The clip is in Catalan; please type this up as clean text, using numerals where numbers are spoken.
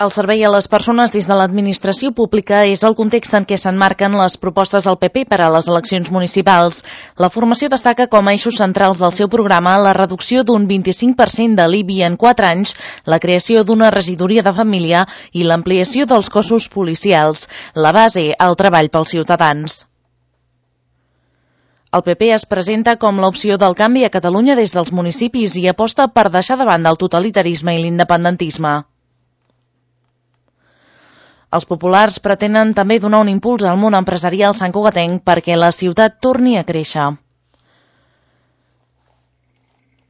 El servei a les persones des de l'administració pública és el context en què s'emmarquen les propostes del PP per a les eleccions municipals. La formació destaca com a eixos centrals del seu programa la reducció d'un 25% de l'IBI en 4 anys, la creació d'una regidoria de família i l'ampliació dels cossos policials. La base, el treball pels ciutadans. El PP es presenta com l'opció del canvi a Catalunya des dels municipis i aposta per deixar de banda el totalitarisme i l'independentisme. Els populars pretenen també donar un impuls al món empresarial santcugatenc perquè la ciutat torni a créixer.